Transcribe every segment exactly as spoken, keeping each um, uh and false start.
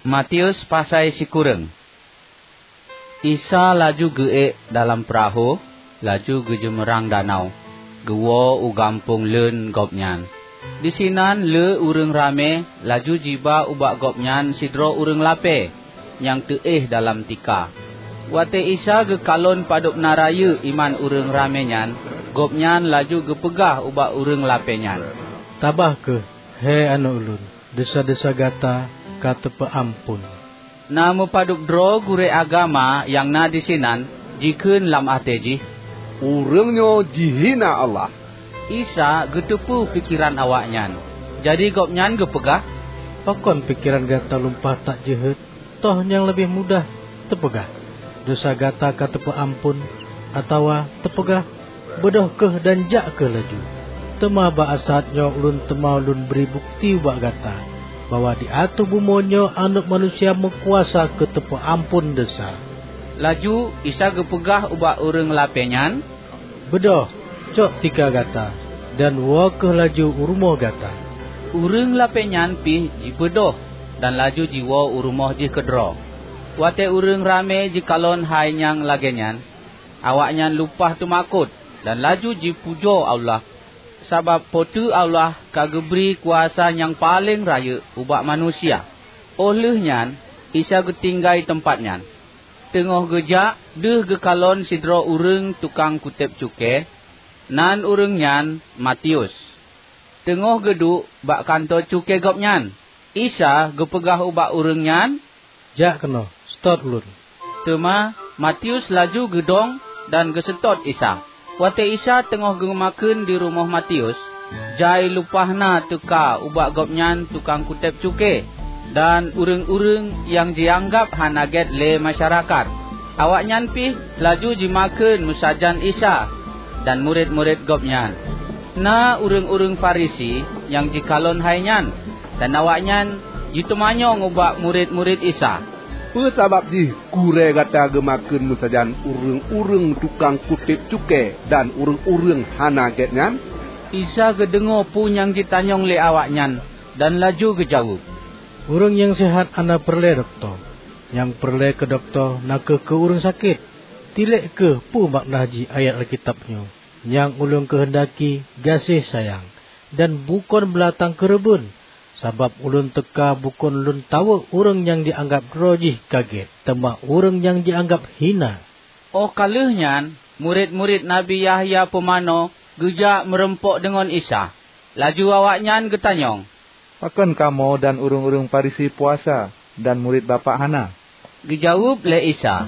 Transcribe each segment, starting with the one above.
Matius pasai sikureueng. Isa laju geuék dalam peurahô, laju geujeumeurang danau, geuwoe u gampông leuen Gobnyan. Disinan le ureuëng ramé laju jiba ubak Gobnyan sidroe ureuëng lapée nyang teuéh dalam tika. Watée Isa geukalon padub na rayeuk iman ureuëng ramé nyan, Gobnyan laju geupeugah ubak ureuëng lapée nyan, "Tabah kheueh, he aneuëk ulôn, desya-desya gata ka teupeuamphon." Na meupadub droe gurée agama nyang na disinan jikheun lam até jih, "Ureuëng nyoe jihina Allah." Isa geuteupeue pikeran awaknyan, jadi Gobnyan geupeugah, "Pakon pikeran gata lumpah that jeuhet? Toh nyang leubeh mudah teupeugah, 'Desya gata ka teupeuamphon,' atawa teupeugah, 'Beudôh kheueh dan jak kheueh laju'? Teuma bak saát nyoe ulôn teuma lôn bri bukeuti ubak gata bahwa di ateueh bumoe nyoe Aneuëk Manusia meukuasa keu teupeuamphon desya." Laju Isa geupeugah ubak ureuëng lapée nyan, "Beudôh, cok tika gata, dan woe kheueh laju u rumoh gata." Ureuëng lapée nyan pih jibeudôh dan laju jiwoe u rumoh jih keudroe. Watée ureuëng ramé jikalon hai nyang lagée nyan, awaknyan lumpah teumakot dan laju jipujoe Allah, sabab Po teu Allah ka geubri kuasa nyang paleng rayeuk ubak manusia. Óh lheueh nyan Isa geutinggai teumpat nyan. Teungoh geujak, deuh geukalon sidroe ureuëng tukang kutéb cukée, nan ureuëng nyan Matius. Teungoh geuduek bak kantô cukée gobnyan, Isa geupeugah ubak ureuëng nyan, "Jak keunoe, seutôt ulôn." Teuma Matius laju geudong dan geuseutôt Isa. Watée Isa teungoh geumakheun di rumoh Matius, jai lumpah na teuka ubak gobnyan tukang kutéb cukée dan ureuëng-ureuëng nyang jianggab hana gét lé masyarakat. Awaknyan pih laju jimakheun meusajan Isa dan murit-murit Gobnyan. Na ureuëng-ureuëng Farisi nyang jikalon hai nyan, dan awaknyan jiteumanyong ubak murit-murit Isa, "Peue sabab jih gurée gata geumakheun meusajan ureuëng-ureuëng tukang kutéb cukée dan ureuëng-ureuëng hana gét nyan?" Isa geudeungoe peue nyang jitanyong lé awaknyan dan laju geujaweueb, "Ureuëng nyang seuhat hana peureulée dokto. Nyang peureulée keu dokto na kheueh keu ureuëng sakét. Tilée kheueh peue makna jih ayat Alkitab nyoe, 'Nyang Ulôn keuheundaki gaséh sayang, dan bukon beulatang keureubeuen.' Sabab Ulôn teuka bukon Lôn tawök ureuëng nyang jianggab droe jih ka gét, teuma ureuëng nyang jianggab hina." Óh ka lheueh nyan, murit-murit Nabi Yahya Pumanö geujak meurumpok deungon Isa. Laju awaknyan geutanyong, "Pakon kamoe dan ureuëng-ureuëng Farisi puasa, dan murit Bapak hana?" Geujaweueb lé Isa,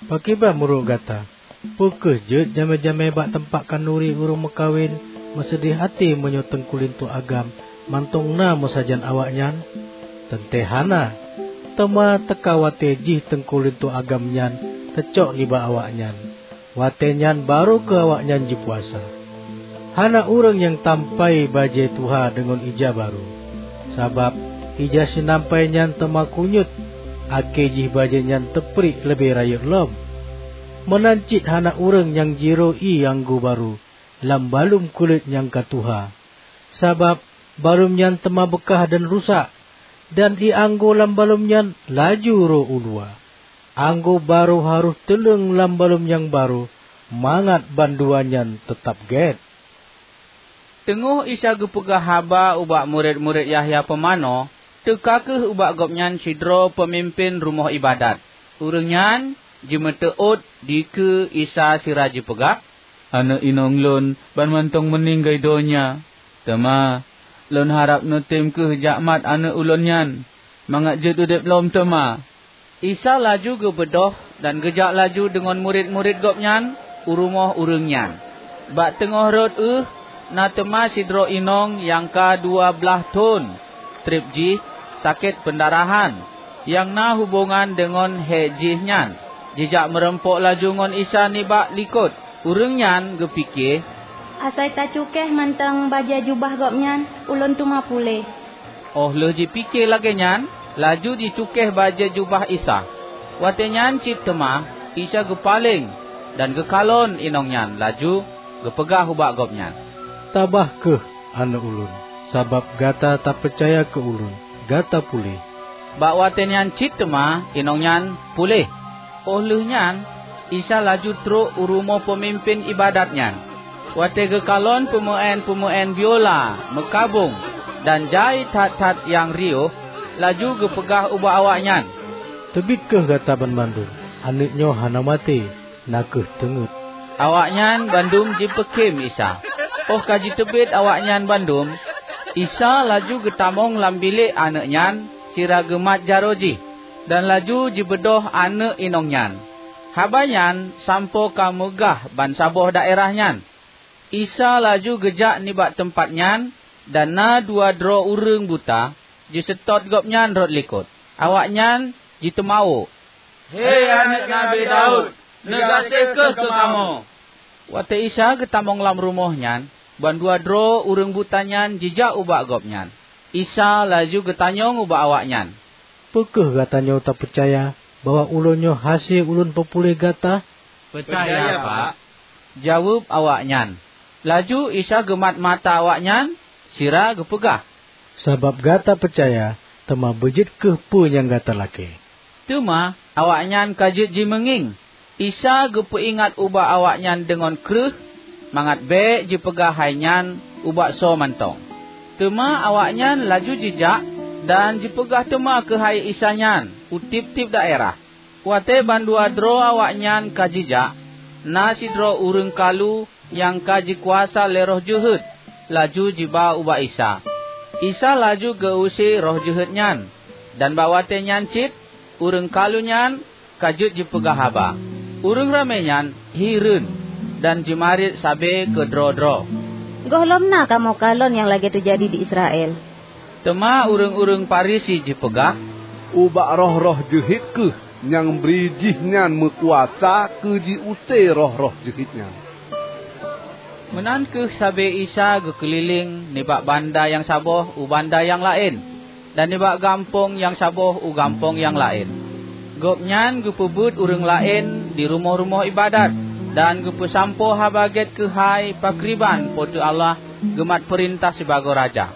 "Pakriban meunurot gata? Peu kheueh jeuet jamé-jamé bak teumpat khanduri ureuëng meukawen meuseudeh até meunyoe teungku linto agam mantong na meusajan awaknyan? Teuntée hana! Teuma teuka watée jih teungku linto agam nyan teucok nibak awaknyan. Watée nyan barô kheueh awaknyan jipuasa. Hana ureuëng nyang tampai bajée tuha deungon ija barô, sabab ija sinampai nyan teuma kunyuet, akhé jih bajée nyan teupriek leubeh rayeuk lom. Meunan cit hana ureuëng nyang jiroe ié anggô barô lam balum kulét nyang ka tuha, sabab balum nyan teuma beukah dan rusak, dan ié anggô lam balum nyan laju rô u luwa. Anggô barô harôh teuleueng lam balum nyang barô, mangat bandua nyan teutab gét." Teungoh Isa geupeugah haba ubak murit-murit Yahya Pumanö, teuka kheueh ubak Gobnyan sidroe peumimpén rumoh iébadat. Ureuëng nyan jimeuteuôt dikeue Isa sira jipeugah, "Aneuëk inong lôn ban mantong meuninggai donya, teuma lôn harab neutem kheueh jak mat aneuëk ulôn nyan, mangat jeuet udeb lom teuma." Isa laju geubeudôh dan geujak laju deungon murit-murit Gobnyan u rumoh ureuëng nyan. Bak teungoh rot ueh, na teuma sidroe inong nyang ka dua blaih thon treb jih sakét peundarahan, nyang na hubongan deungon hék jih nyan. Jijak meurumpok laju ngon Isa nibak likot. Ureuëng nyan geupike, "Asai tacukéh mantong bajée jubah Gobnyan, ulôn teuma puléh." Óh lheueh jipike lagée nyan, laju jicukéh bajée jubah Isa. Watée nyan cit teuma Isa geupaleng dan geukalon inong nyan, laju geupeugah ubak gobnyan, "Tabah kheueh, aneuëk ulôn, sabab gata tapeucaya keu ulôn, gata puléh." Bak watée nyan cit teuma inong nyan puléh. Óh lheueh nyan Isa laju trok u rumoh peumimpén iébadat nyan. Watée geukalon peumeuén-peumeuén biola meukabong dan jai that-that nyang riôh, laju geupeugah ubak awaknyan, "Teubiet kheueh gata banmandum! Aneuëk nyoe hana maté, na kheueh teungét." Awaknyan bandum jipeukém Isa. Óh ka jiteubiet awaknyan bandum, Isa laju geutamong lam bilék aneuëk nyan sira geumat jaroe jih, dan laju jibeudôh aneuëk inong nyan. Haba nyan sampoe ka meugah bansaboh daerah nyan. Isa laju geujak nibak teumpat nyan, dan na dua droe ureuëng buta jiseutôt Gobnyan rot likot. Awaknyan jiteumawök, "He Aneuëk Nabi Daud, neugaséh kheueh keu kamoe!" Watée Isa geutamong lam rumoh nyan, bandua droe ureuëng buta nyan jijak ubak Gobnyan. Isa laju geutanyong ubak awaknyan, "Peu kheueh gata nyoe tapeucaya bahwa Ulôn nyoe hase Ulôn peupuléh gata?" "Peucaya, Pak," jaweueb awaknyan. Laju Isa geumat mata awaknyan sira geupeugah, "Sabab gata peucaya, teuma beujeuet kheueh peue nyang gata lakée." Teuma awaknyan ka jeuet jimeungieng. Isa geupeuingat ubak awaknyan deungon kreueh mangat bék jipeugah hai nyan ubak soe mantong. Teuma awaknyan laju jijak dan jipeugah teuma keuhai Isa nyan u tieb-tieb daerah. Watée bandua droe awaknyan ka jijak, na sidroe ureuëng kalu nyang ka jikuasa lé roh jeuhet laju jiba ubak Isa. Isa laju geu-use roh jeuhet nyan, dan bak watée nyan cit ureuëng kalu nyan ka jeuet jipeugah haba. Ureuëng ramé nyan hireuen dan jimarit sabe keudroe-droe, "Gohlom na kamoe kalon nyang lagée teujadi di Israel." Teuma ureuëng-ureuëng Farisi jipeugah, "Ubak roh-roh jeuhet kheueh nyang bri jihnyan meukuasa keu jiuse roh-roh jeuhet nyan." Meunan kheueh sabe Isa geukeulileng nibak banda nyang saboh u banda nyang laén, dan nibak gampông nyang saboh u gampông nyang laén. Gobnyan geupeubeuet ureuëng laén di rumoh-rumoh iébadat dan geupeusampoe Haba Gét keuhai pakriban Po teu Allah geumat peurintah sibagoe Raja.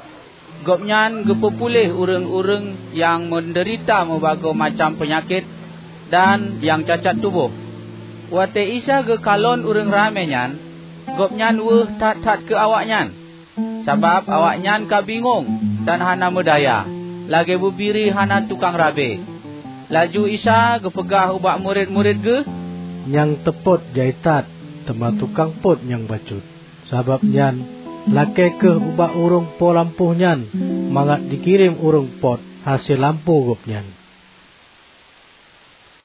Gobnyan geupeupuléh ureuëng-ureuëng nyang meudeurita meubagoe macam peunyakét dan nyang cacat tuboh. Watée Isa geukalon ureuëng ramé nyan, Gobnyan weueh that-that keu awaknyan, sabab awaknyan ka bingong dan hana meudaya, lagée bubiri hana tukang rabe. Laju Isa geupeugah ubak murit-murit Geuh, "Nyang teupôt jai that, teuma tukang pôt nyang bacut. Sabab nyan, lakée kheueh ubak ureuëng po lampôh nyan mangat jikirém ureuëng pôt hase lampôh gobnyan."